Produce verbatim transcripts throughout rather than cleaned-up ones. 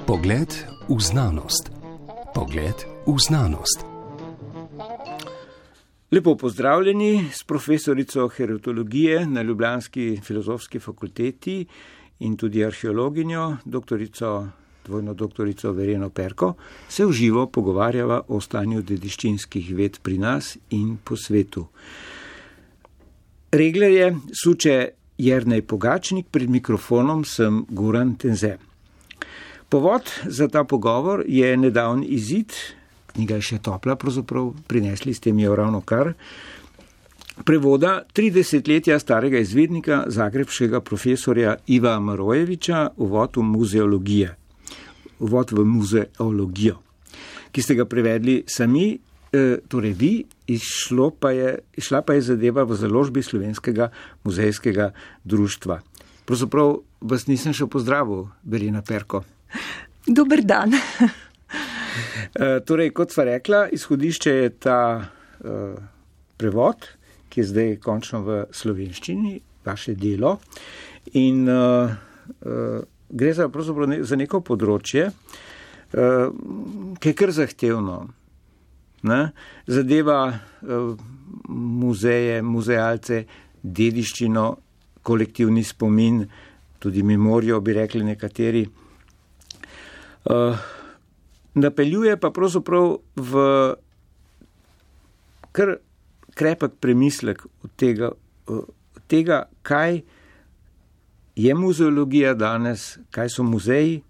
Pogled v znanost. Pogled v znanost. Lepo pozdravljeni s profesorico heritologije na ljubljanski filozofski fakulteti in tudi arheologinjo, doktorico, dvojno doktorico Vereno Perko, se v živo pogovarjava o stanju dediščinskih ved pri nas in po svetu. Reglerje suče Jernej Pogačnik, pred mikrofonom sem Goran Tenze. Povod za ta pogovor je nedavni izid, knjiga je še topla, pravzaprav prinesli ste mi jo ravno kar, prevoda tridesetletja starega izvednika zagrebškega profesorja Iva Marojeviča Uvod v muzeologije, Uvod v muzeologijo, ki ste ga prevedli sami, eh, torej vi, išlo pa je, išla pa je zadeva v založbi Slovenskega muzejskega društva. Pravzaprav vas nisem še pozdravil, Verena Perko. Dober dan. e, torej, kot sva rekla, izhodišče je ta e, prevod, ki je zdaj končno v slovenščini, vaše delo. In e, e, gre za, pravzaprav ne, za neko področje, e, ki je kar zahtevno. Ne? Zadeva e, muzeje, muzealce, dediščino, kolektivni spomin, tudi memorijo, bi rekli nekateri. Uh, napeljuje pa pravzaprav v kar krepek premislek od tega, uh, tega, kaj je muzeologija danes, kaj so muzeji,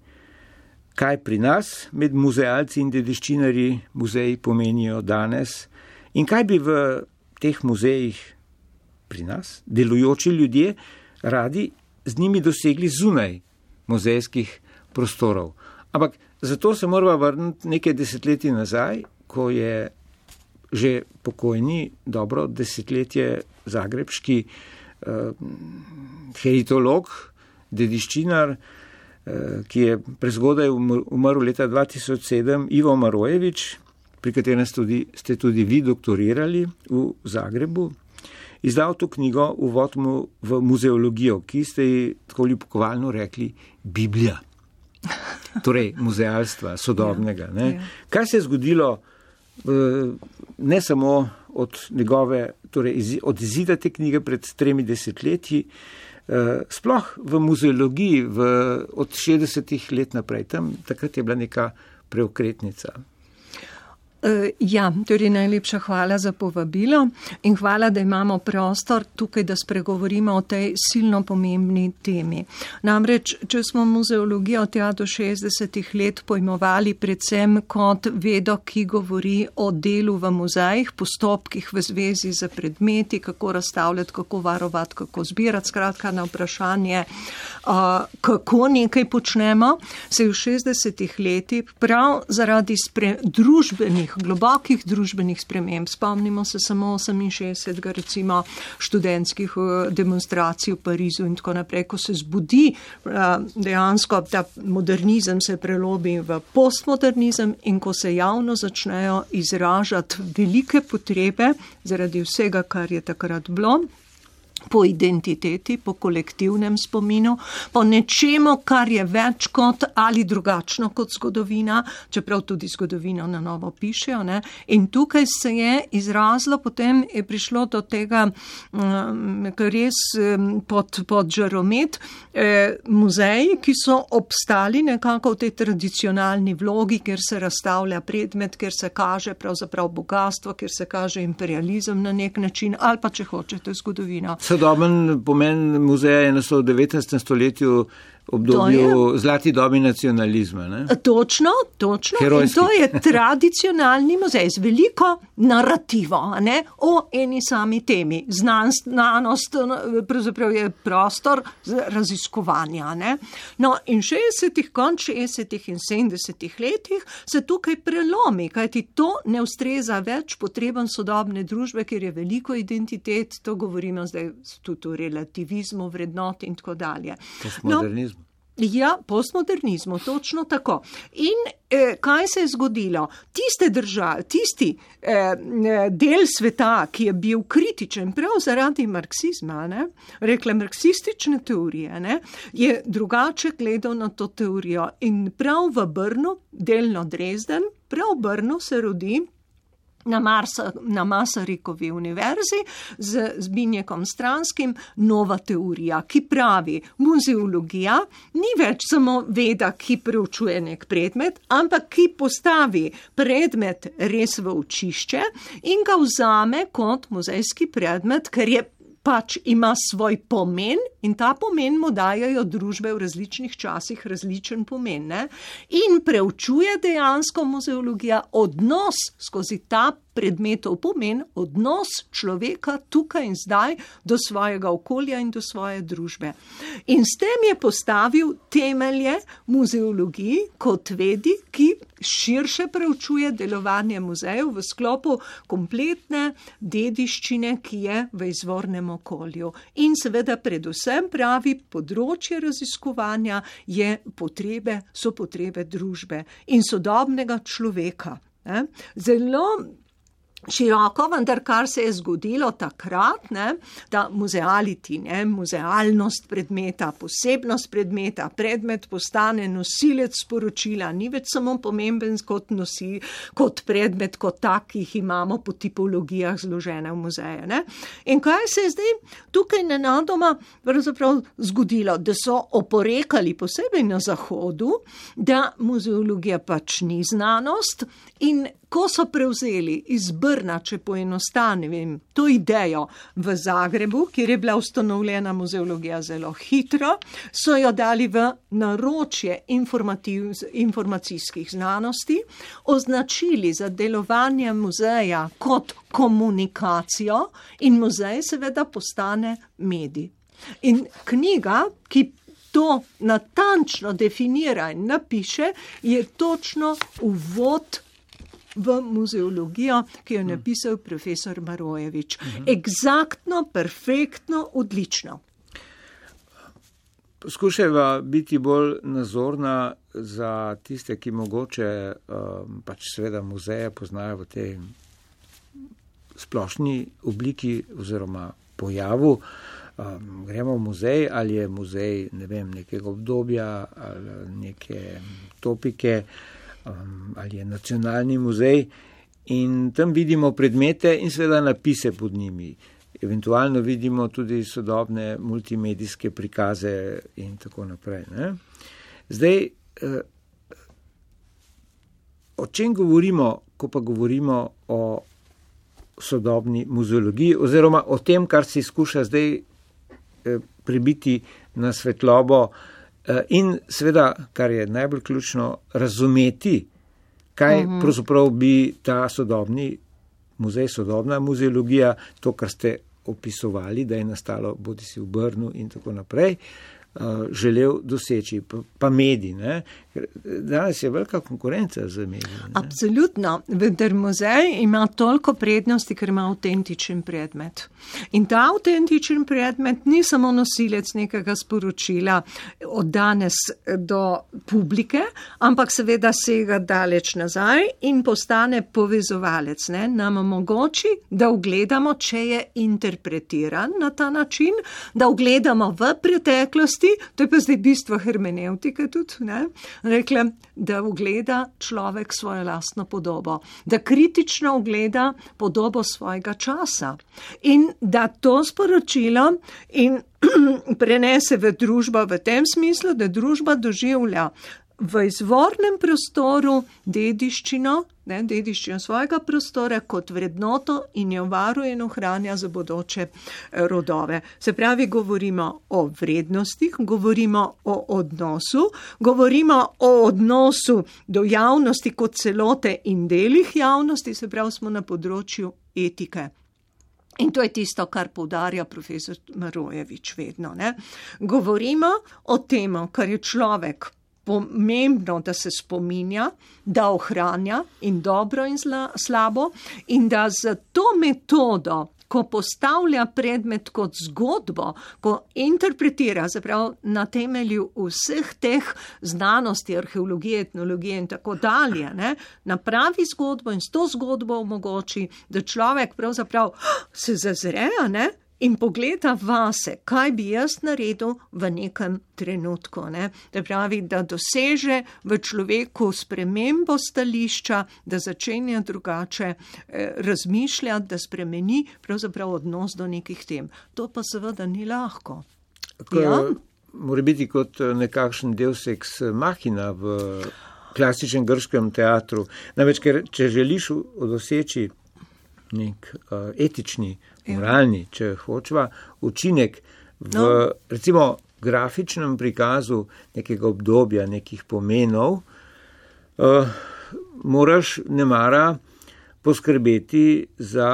kaj pri nas med muzealci in dediščinarji muzeji pomenijo danes in kaj bi v teh muzejih pri nas delujoči ljudje radi z njimi dosegli zunaj muzejskih prostorov. Ampak zato se moramo vrniti nekaj desetletij nazaj, ko je že pokojni, dobro desetletje zagrebški eh, heritolog, dediščinar, eh, ki je prezgodaj umrl leta dva tisoč sedem, Ivo Marojevič, pri katerem ste tudi, ste tudi vi doktorirali v Zagrebu, izdal to knjigo Uvod v muzeologijo, ki ste ji tako ljubkovalno rekli Biblija. Torej, muzealstva, sodobnega. Ne? Ja, ja. Kaj se je zgodilo ne samo od njegove, torej od izida te knjige pred tremi desetletji, sploh v muzeologiji v, od šestdesetih let naprej, tam takrat je bila neka preokretnica. Ja, torej najlepša hvala za povabilo in hvala, da imamo prostor tukaj, da spregovorimo o tej silno pomembni temi. Namreč, če smo muzeologijo tja do šestdesetih let pojmovali predvsem kot vedo, ki govori o delu v muzejih, postopkih v zvezi z predmeti, kako razstavljati, kako varovati, kako zbirati, skratka na vprašanje, kako nekaj počnemo, se je v šestdesetih letih prav zaradi spre, družbenih globokih družbenih sprememb. Spomnimo se samo oseminšestdesetega recimo študentskih demonstracij v Parizu in tako naprej, ko se zbudi dejansko ta modernizem se prelobi v postmodernizem in ko se javno začnejo izražati velike potrebe zaradi vsega, kar je takrat bilo, po identiteti, po kolektivnem spominu, po nečemu, kar je več kot ali drugačno kot zgodovina, čeprav tudi zgodovino na novo pišejo. Ne? In tukaj se je izrazilo, potem je prišlo do tega um, res um, pod, pod žaromet eh, muzeji, ki so obstali nekako v tej tradicionalni vlogi, kjer se razstavlja predmet, kjer se kaže pravzaprav bogatstvo, kjer se kaže imperializem na nek način, ali pa če hočete zgodovino. Sodoben pomen muzeja je nastal v devetnajstem stoletju obdobju zlati dobi nacionalizma. Ne? Točno, točno. Herojski. In to je tradicionalni muzej z veliko narativo, ne? O eni sami temi. Znanost pravzaprav je prostor raziskovanja. Ne? No, in šestdesetih, konč šestdesetih in sedemdesetih letih se tukaj prelomi, kajti to ne ustreza več potrebam sodobne družbe, ker je veliko identitet, to govorimo zdaj tudi o relativizmu, vrednot in tako dalje. Postmodernizmu. Ja, postmodernizmu, točno tako. In eh, kaj se je zgodilo? Tiste države, tisti eh, del sveta, ki je bil kritičen prav zaradi marksizma, ne, rekle marksistične teorije, ne, je drugače gledal na to teorijo. In prav v Brnu, delno Dresden, prav v Brnu se rodi na, Marsa, na Masarikovi univerzi z Zbigniekom Stranskim nova teorija, ki pravi, muzeologija ni več samo veda, ki preučuje nek predmet, ampak ki postavi predmet res v očišče in ga vzame kot muzejski predmet, ker je pač ima svoj pomen in ta pomen mu dajajo družbe v različnih časih različen pomen. Ne? In preučuje dejansko muzeologija odnos skozi ta predmetov pomen, odnos človeka tukaj in zdaj do svojega okolja in do svoje družbe. In s tem je postavil temelje muzeologiji kot vedi, ki širše preučuje delovanje muzejev v sklopu kompletne dediščine, ki je v izvornem okolju. In seveda predvsem pravi, področje raziskovanja je potrebe, so potrebe družbe in sodobnega človeka. Ne? Zelo široko, vendar kar se je zgodilo takrat, ne, da muzeality, ne, muzealnost predmeta, posebnost predmeta, predmet postane nosilec sporočila, ni več samo pomemben kot, nosi, kot predmet, kot tak, ki jih imamo po tipologijah zložene v muzeje. Ne. In kaj se je zdaj tukaj nenadoma pravzaprav zgodilo, da so oporekali posebej na Zahodu, da muzeologija pač ni znanost in ko so prevzeli iz Brna, če poenostavim, to idejo v Zagrebu, kjer je bila ustanovljena muzeologija zelo hitro, so jo dali v naročje informacijskih znanosti, označili za delovanje muzeja kot komunikacijo in muzej seveda postane medij. In knjiga, ki to natančno definira in napiše, je točno uvod v muzeologijo, ki jo je napisal profesor Marojevič. Egzaktno, perfektno, odlično. Poskušajva biti bolj nazorna za tiste, ki mogoče um, pač seveda muzeje poznajo v tej splošni obliki oziroma pojavu. Um, gremo v muzej, ali je muzej, ne vem, nekega obdobja ali neke topike, Um, ali je nacionalni muzej in tam vidimo predmete in seveda napise pod njimi. Eventualno vidimo tudi sodobne multimedijske prikaze in tako naprej. Ne? Zdaj, eh, o čem govorimo, ko pa govorimo o sodobni muzeologiji oziroma o tem, kar si skuša zdaj eh, pribiti na svetlobo, in seveda, kar je najbolj ključno, razumeti, kaj uh-huh. pravzaprav bi ta sodobni muzej, sodobna muzeologija, to, kar ste opisovali, da je nastalo bodi si v Brnu in tako naprej, želel doseči, pa mediji. Ne? Danes je velika konkurenca za mediji. Ne? Absolutno, vendar muzej ima toliko prednosti, ker ima avtentičen predmet. In ta avtentičen predmet ni samo nosilec nekega sporočila od danes do publike, ampak seveda sega daleč nazaj in postane povezovalec. Ne? Nam omogoči, da ugledamo, če je interpretiran na ta način, da ugledamo v preteklosti. To je pa zdaj bistvo hermeneutike tudi, ne? Rekla, da ugleda človek svojo lastno podobo, da kritično ugleda podobo svojega časa in da to sporočilo in prenese v družbo v tem smislu, da družba doživlja v izvornem prostoru dediščino, ne, dediščino svojega prostora kot vrednoto in jo varuje in ohranja za bodoče rodove. Se pravi, govorimo o vrednostih, govorimo o odnosu, govorimo o odnosu do javnosti kot celote in delih javnosti, se pravi, smo na področju etike. In to je tisto, kar poudarja profesor Marojevič vedno. Ne. Govorimo o tem, kar je človek pomembno, da se spominja, da ohranja in dobro in zla, slabo in da za to metodo ko postavlja predmet kot zgodbo, ko interpretira, zapravo na temelju vseh teh znanosti, arheologije, etnologije in tako dalje, ne, napravi zgodbo in s to zgodbo omogoči, da človek pravzaprav se zazre, ne, in pogleda vase, kaj bi jaz naredil v nekem trenutku. Ne? Da pravi, da doseže v človeku spremembo stališča, da začenja drugače eh, razmišljati, da spremeni pravzaprav odnos do nekih tem. To pa seveda ni lahko. Ja? Mora biti kot nekakšen deus ex machina v klasičnem grškem teatru. Namreč, ker če želiš doseči nek uh, etični, moralni, če hočeva, učinek v, no. recimo, grafičnem prikazu nekega obdobja, nekih pomenov, uh, moraš nemara poskrbeti za,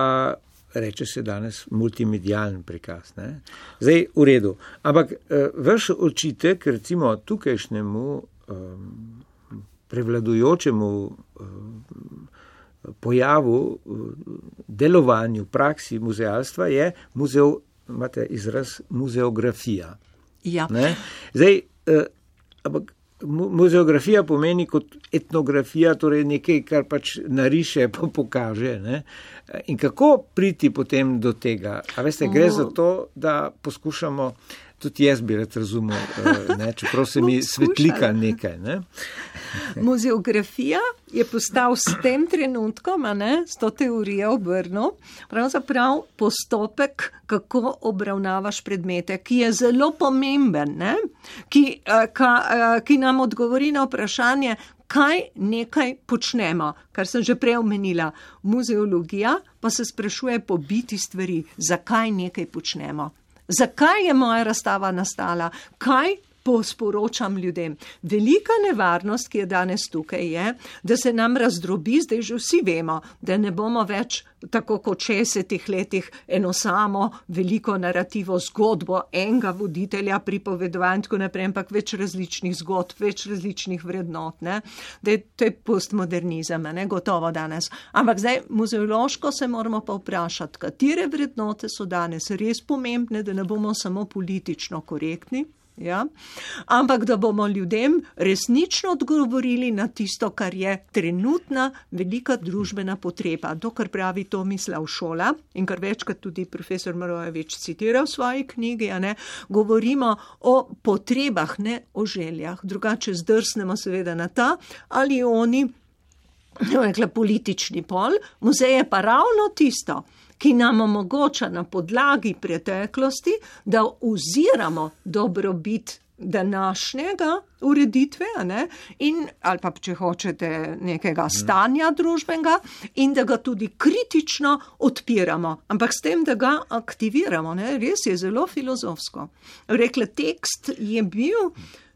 reče se danes, multimedialen prikaz. Ne? Zdaj, v redu. Ampak uh, vaš očitek, recimo, tukajšnjemu um, prevladujočemu um, pojavu, delovanju, praksi muzealstva je muzeo, imate izraz muzeografija. Ja. Ne? Zdaj, eh, ampak muzeografija pomeni kot etnografija, torej nekaj, kar pač nariše, pa pokaže. Ne? In kako priti potem do tega? A veste, gre za to, da poskušamo, tudi jaz bi rad razumel, ne? Čeprav se mi svetlika nekaj. Ne? Muzeografija je postal s tem trenutkom, a ne, s to teorijo obrnil, pravzaprav postopek, kako obravnavaš predmete, ki je zelo pomemben, ne? Ki, ka, ki nam odgovori na vprašanje, kaj nekaj počnemo, kar sem že prej omenila. Muzeologija pa se sprašuje po biti stvari, zakaj nekaj počnemo. Zakaj je moja razstava nastala? Kaj posporočam ljudem? Velika nevarnost, ki je danes tukaj, je, da se nam razdrobi, zdaj že vsi vemo, da ne bomo več tako kot šestdesetih letih eno samo veliko narativo zgodbo enega voditelja pripovedovanja in tako naprej, ampak več različnih zgodb, več različnih vrednot, ne? Da je to je postmodernizem, ne? Gotovo danes. Ampak zdaj muzeološko se moramo pa vprašati, katere vrednote so danes res pomembne, da ne bomo samo politično korektni. Ja? Ampak da bomo ljudem resnično odgovorili na tisto, kar je trenutna velika družbena potreba. To, kar pravi Tomislav Šola in kar večkrat tudi profesor Marojevič citira v svoji knjigi, a ne, govorimo o potrebah, ne o željah. Drugače zdrsnemo seveda na ta ali oni, rekla, politični pol. Muzej je pa ravno tisto, ki nam omogoča na podlagi preteklosti, da oziramo dobrobit današnjega ureditve, a ne, in, ali pa, če hočete, nekega stanja družbenega in da ga tudi kritično odpiramo. Ampak s tem, da ga aktiviramo, ne, res je zelo filozofsko. Rekla, tekst je bil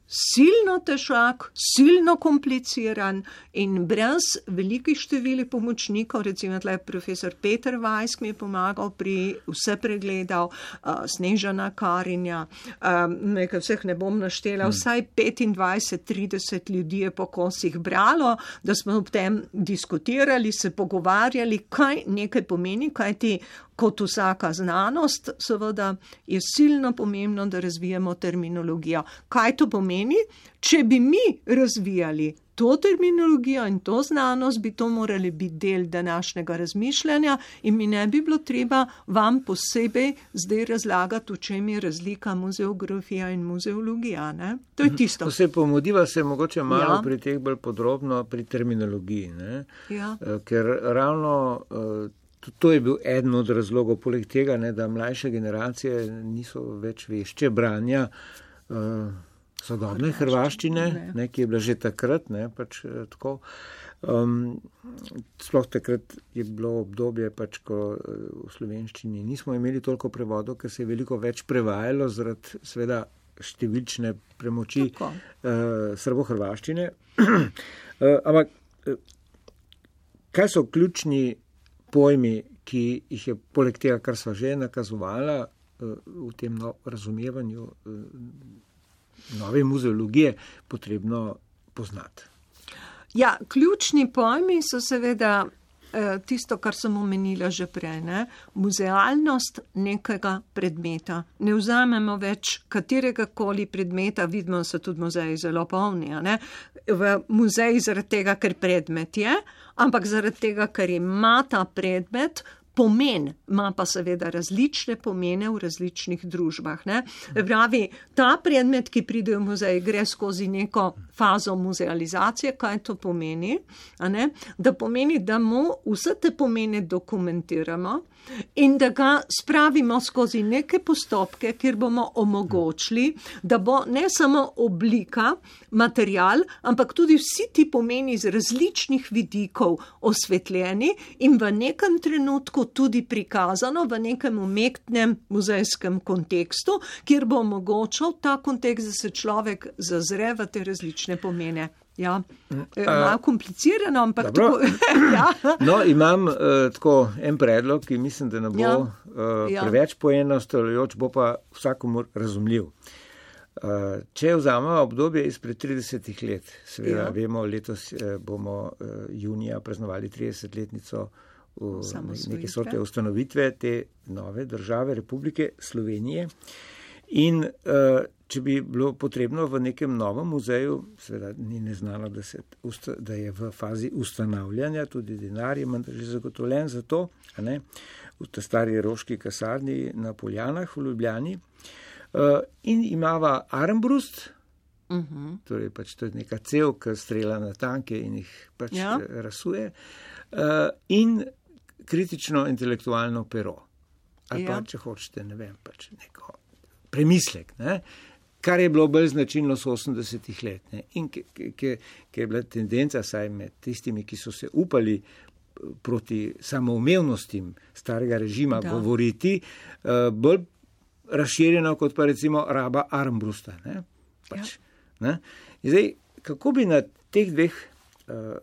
silno težak, silno kompliciran in brez velikih števili pomočnikov, recimo tle profesor Peter Weiss mi je pomagal pri vse pregledal, uh, Snežana Karinja, um, nekaj vseh ne bom naštela, hmm. vsaj petindvajset trideset ljudi je po kosih bralo, da smo ob tem diskutirali, se pogovarjali, kaj nekaj pomeni, kaj ti kot vsaka znanost, seveda je silno pomembno, da razvijamo terminologijo. Kaj to pomeni? Če bi mi razvijali to terminologijo in to znanost, bi to morali biti del današnjega razmišljanja in mi ne bi bilo treba vam posebej zdaj razlagati, v čem je razlika muzeografija in muzeologija. Ne? To je tisto. To se pomodiva se mogoče malo ja. pri teh bolj podrobno pri terminologiji, ne? Ja. Ker ravno to je bil eden od razlogov, poleg tega, ne, da mlajše generacije niso več vešče branja uh, sodobne hrvaščine, ne, ki je bila že takrat, ne, pač tako. Um, sploh takrat je bilo obdobje, pač, ko v slovenščini nismo imeli toliko prevodov, ker se je veliko več prevajalo zaradi seveda številčne premoči uh, srbohrvaščine. uh, ampak uh, kaj so ključni pojmi, ki jih je poleg tega, kar sva že nakazovala v tem no, razumevanju nove muzeologije, potrebno poznati? Ja, ključni pojmi so seveda tisto, kar sem omenila že prej, ne? Muzealnost nekega predmeta. Ne vzamemo več katerega koli predmeta, vidimo, so tudi muzeji zelo polni, ne? V muzeji zaradi tega, ker predmet je, ampak zaradi tega, ker ima ta predmet pomen, ima pa seveda različne pomene v različnih družbah. Ne? Pravi, ta predmet, ki pride v muzej, gre skozi neko fazo muzealizacije, kaj to pomeni, a ne? Da pomeni, da mu vse te pomene dokumentiramo in da ga spravimo skozi neke postopke, kjer bomo omogočili, da bo ne samo oblika, material, ampak tudi vsi ti pomeni iz različnih vidikov osvetljeni in v nekem trenutku tudi prikazano v nekem umetnem muzejskem kontekstu, kjer bo omogočal ta kontekst, da se človek zazre v te različne pomene. Ja, malo komplicirano, ampak tako. Ja. No, imam uh, tako en predlog, ki mislim, da ne bo ja. uh, ja. preveč poenostavljajoč, bo pa vsakomur razumljiv. Uh, če vzamemo obdobje izpred tridesetih let, seveda ja. vemo, letos uh, bomo uh, junija praznovali tridesetletnico neke sorte ustanovitve te nove države Republike Slovenije. In uh, če bi bilo potrebno v nekem novem muzeju, seveda ni neznano, da, se, da je v fazi ustanavljanja, tudi denar je že zagotovljen za to, a ne, v ta stari roški kasarni na Poljanah v Ljubljani. Uh, in imava Armbrust, uh-huh. torej pač to je neka cev, ki strela na tanke in jih pač ja. rasuje, uh, in kritično intelektualno pero. Ali ja. pa, če hočete, ne vem, pač neko premislek, ne? Kar je bilo bolj značilno s osemdesetih let. Ne? In ker je bila tendenca saj med tistimi, ki so se upali proti samoumevnostim starega režima da. govoriti, uh, bolj razširjeno kot pa recimo raba Armbrusta. Ne? Pač, ja. ne? In zdaj, kako bi na teh dveh, uh,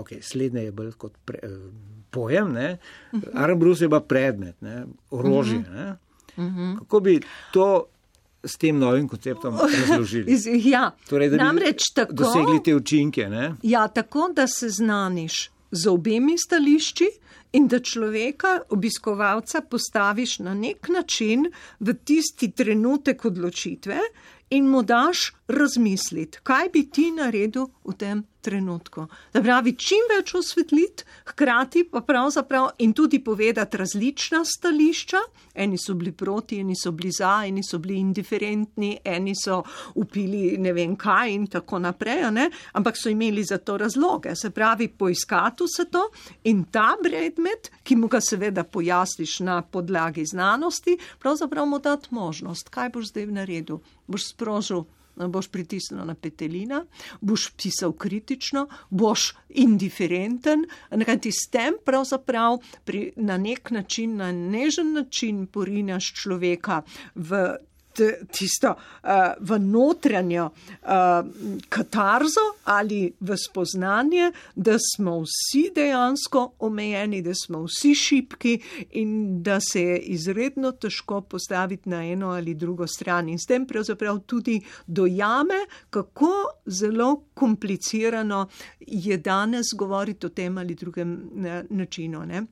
ok, slednje je bolj kot pre, uh, pojem, ne? Uh-huh. Armbrust je pa predmet, ne? Orožje, uh-huh. ne? Uh-huh. Kako bi to s tem novim konceptom razložili? Ja, torej, da namreč bi tako, dosegli te učinke, ne? Ja, tako, da se znaniš z obemi stališči in da človeka, obiskovalca, postaviš na nek način v tisti trenutek odločitve in mu daš razmisliti, kaj bi ti naredil v tem trenutku. Da pravi, čim več osvetliti, hkrati pa pravzaprav in tudi povedati različna stališča. Eni so bili proti, eni so bili za, eni so bili indiferentni, eni so upili ne vem kaj in tako naprej, ne? Ampak so imeli za to razloge. Se pravi, poiskati se to in ta predmet, ki mu ga seveda pojasniš na podlagi znanosti, pravzaprav mu dati možnost, kaj boš zdaj naredil. Boš sprožil, boš pritisnil na petelina, boš pisal kritično, boš indiferenten, nekaj ti s tem pravzaprav pri, na nek način, na nežen način porinaš človeka v tisto uh, v notranjo uh, katarzo ali v spoznanje, da smo vsi dejansko omejeni, da smo vsi šibki in da se je izredno težko postaviti na eno ali drugo stran. In s tem pravzaprav tudi dojame, kako zelo komplicirano je danes govoriti o tem ali drugem ne, načinu, ne?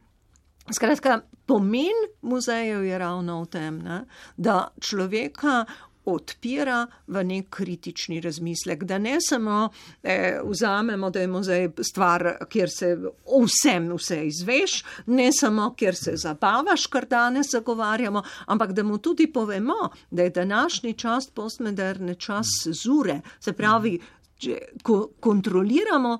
Skratka, pomen muzejev je ravno v tem, ne, da človeka odpira v nek kritični razmislek, da ne samo eh, vzamemo, da je muzej stvar, kjer se vsem vse izveš, ne samo, kjer se zabavaš, kar danes zagovarjamo, ampak da mu tudi povemo, da je današnji čas postmoderne čas cenzure, se pravi, ko kontroliramo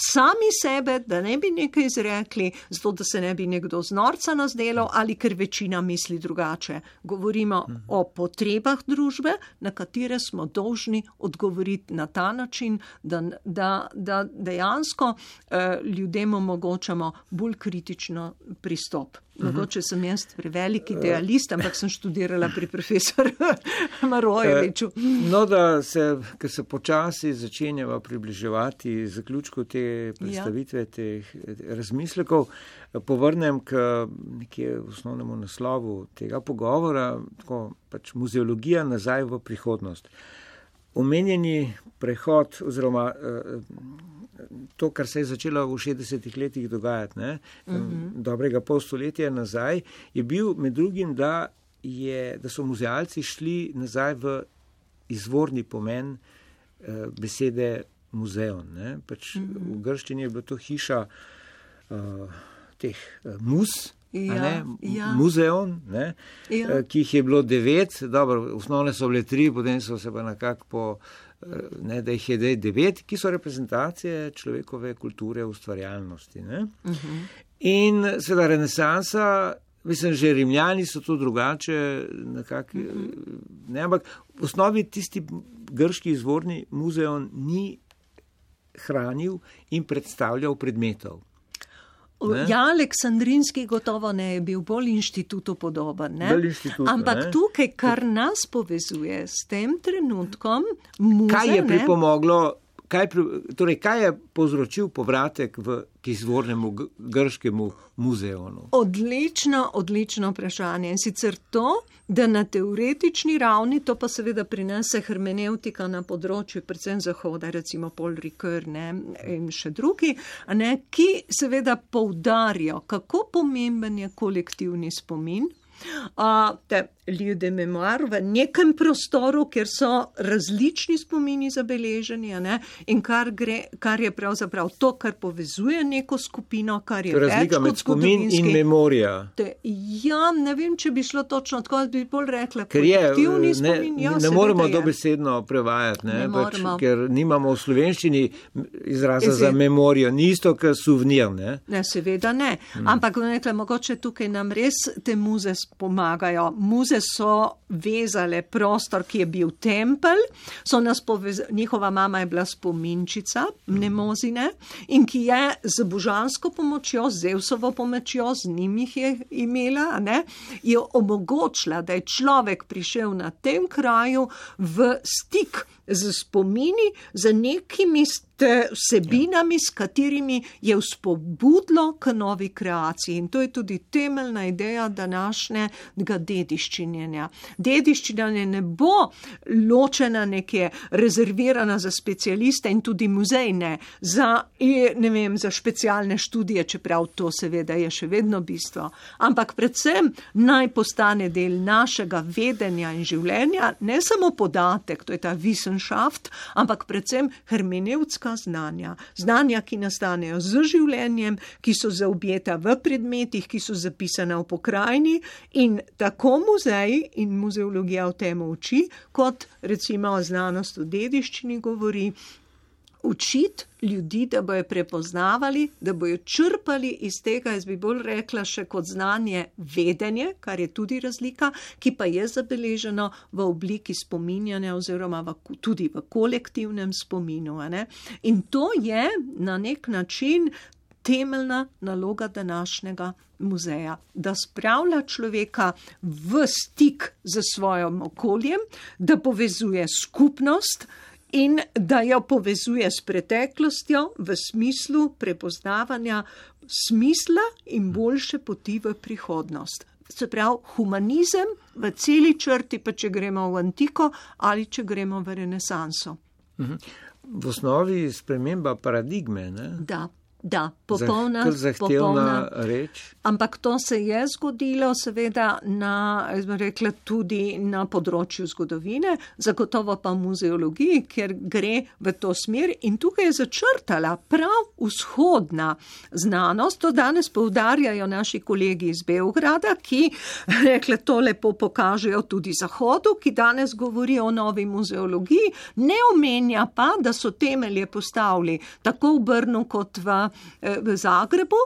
sami sebe, da ne bi nekaj izrekli, zato da se ne bi nekdo z norca nas delal ali ker večina misli drugače. Govorimo uh-huh. o potrebah družbe, na katere smo dolžni odgovoriti na ta način, da, da, da dejansko eh, ljudem omogočamo bolj kritično pristop. Mogoče sem jaz prevelik idealist, ampak sem študirala pri profesorju Marojeviču. No, da se, ker se počasi začenjava približevati zaključku te predstavitve, ja. teh razmislekov, povrnem k nekje osnovnemu naslovu tega pogovora, tako pač muzeologija nazaj v prihodnost. Omenjeni prehod oziroma to, kar se je začelo v šestdesetih letih dogajati, ne, uh-huh. dobrega pol stoletja nazaj, je bil med drugim, da, je, da so muzealci šli nazaj v izvorni pomen uh, besede muzeon. Ne. Pač uh-huh. v grščini je bila to hiša uh, teh uh, mus, ja, ne, ja. muzeon, ne, ja. uh, ki jih je bilo devet, dobro, osnovne so bile tri, potem so se pa nekako po Ne, da jih je devet, ki so reprezentacije človekove kulture, ustvarjalnosti. Ne? Uh-huh. In seveda renesansa, mislim, že Rimljani so to drugače, nekako, uh-huh. ne, ampak v osnovi tisti grški izvorni muzeon ni hranil in predstavljal predmetov. Ne? Ja, Aleksandrinski gotovo ne je bil bolj inštitutu podoben. Ne? Bolj inštitutu, ampak ne? Tukaj, kar nas povezuje s tem trenutkom, muze, kaj je pripomoglo, kaj, torej, kaj je povzročil povratek v k izvornemu grškemu muzeonu? Odlično, odlično vprašanje. In sicer to, da na teoretični ravni, to pa seveda prinese hermeneutika na področju, predvsem zahoda, recimo Paul Ricoeur, ne, in še drugi, ne, ki seveda poudarjajo, kako pomemben je kolektivni spomin, Uh, te ljude memoir v nekem prostoru, kjer so različni spomini zabeleženi, ne? In kar, gre, kar je pravzaprav to, kar povezuje neko skupino, kar je več kot razlika med spomin in memorija. Te, ja, ne vem, če bi šlo točno tako, bi bolj rekla, ker je, kolektivni ne, spomin. Ja, ne moremo dobesedno prevajati, ne? Ne pač, ker nimamo v slovenščini izraza Ezi. za memorijo, ni isto, kot suvenir. Ne? Ne, seveda ne. Hmm. Ampak nekaj, mogoče tukaj nam res te muze pomagajo. Muze so vezale prostor, ki je bil tempelj, so nas povezali, njihova mama je bila spominčica Mnemozine in ki je z božansko pomočjo, z Zevsovo pomočjo, z njim jih je imela, ne, je omogočila, da je človek prišel na tem kraju v stik z spomini, z nekimi vsebinami, s katerimi je vzpobudilo k novi kreaciji. In to je tudi temeljna ideja današnjega dediščinjenja. Dediščinjenje ne bo ločena, nekje rezervirana za specialiste in tudi muzejne, za, ne vem, za specialne študije, čeprav to seveda je še vedno bistvo. Ampak predvsem naj postane del našega vedenja in življenja, ne samo podatek, to je ta Wissenschaft, ampak predvsem hermeneutska znanja. Znanja, ki nastanejo z življenjem, ki so zaobjeta v predmetih, ki so zapisane v pokrajini in tako muzeji in muzeologija o tem uči, kot recimo znanost o dediščini govori, učiti ljudi, da bojo prepoznavali, da bojo črpali iz tega, jaz bi bolj rekla še kot znanje vedenje, kar je tudi razlika, ki pa je zabeleženo v obliki spominjanja oziroma v, tudi v kolektivnem spominu. Ne? In to je na nek način temeljna naloga današnjega muzeja, da spravlja človeka v stik z svojim okoljem, da povezuje skupnost, in da jo povezuje s preteklostjo v smislu prepoznavanja smisla in boljše poti v prihodnost. Se pravi, humanizem v celi črti, pa če gremo v antiko ali če gremo v renesanso. V osnovi sprememba paradigme, ne? Da. Da, popolna, zahtevna reč. Ampak to se je zgodilo seveda na, jaz bom rekla, tudi na področju zgodovine, zagotovo pa v muzeologiji, ker gre v to smer in tukaj je začrtala prav vzhodna znanost. To danes poudarjajo naši kolegi iz Beograda, ki rekla, to lepo pokažejo tudi Zahodu, ki danes govori o novi muzeologiji, ne omenja pa, da so temelje postavili tako v Brnu kot v v Zagrebu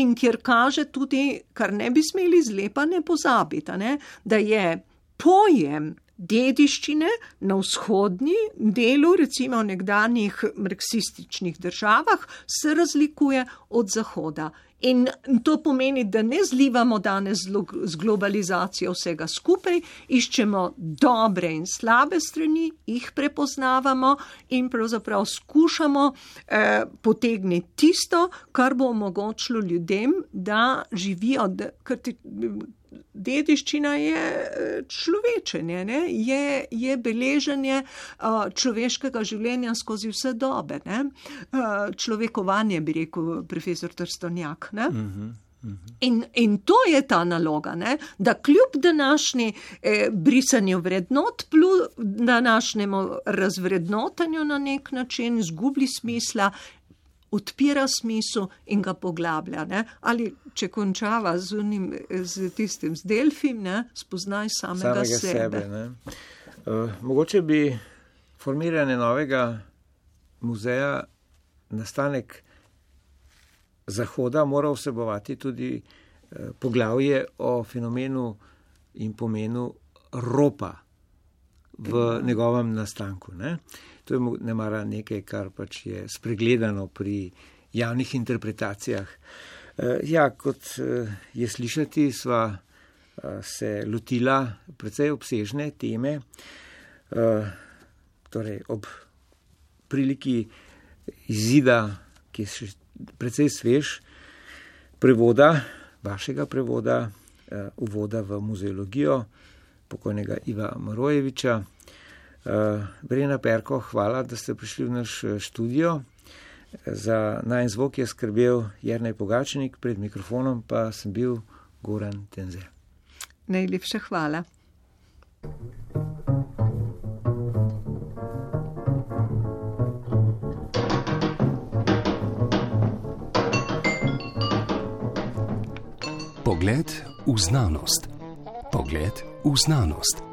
in kjer kaže tudi, kar ne bi smeli zlepa ne pozabiti, ne, da je pojem dediščine na vzhodni delu, recimo v nekdanjih marksističnih državah, se razlikuje od Zahoda. In to pomeni, da ne zlivamo danes z globalizacijo vsega skupaj, iščemo dobre in slabe strani, jih prepoznavamo in pravzaprav skušamo eh, potegniti tisto, kar bo omogočilo ljudem, da živijo, da, ker ti, dediščina je človečenje, ne? Je, je beleženje človeškega življenja skozi vse dobe. Ne? Človekovanje, bi rekel profesor Trstovnjak. Ne? Uh-huh. In, in to je ta naloga, ne? Da kljub današnji eh, brisanju vrednot, plus današnjemu razvrednotanju na nek način, izgubi smisla, odpira smisel in ga poglablja. Ne? Ali če končava z, unim, z tistim z Delfim, ne? Spoznaj samega, samega sebe. sebe ne? Uh, mogoče bi formiranje novega muzeja, nastanek Zahoda mora vsebovati tudi eh, poglavje o fenomenu in pomenu ropa v mm. njegovem nastanku. Ne? To je nemara nekaj, kar pač je spregledano pri javnih interpretacijah. Eh, ja, kot eh, je slišati, sva eh, se lotila precej obsežne teme, eh, torej ob priliki izida, ki je še precej svež, prevoda, vašega prevoda, uh, uvoda v muzeologijo pokojnega Iva Marojeviča. Uh, Brena Perko, hvala, da ste prišli v naš študio. Za najin zvok je skrbel Jernej Pogačnik, pred mikrofonom pa sem bil Goran Tenze. Najlepša hvala. Pogled v znanost. Pogled v znanost.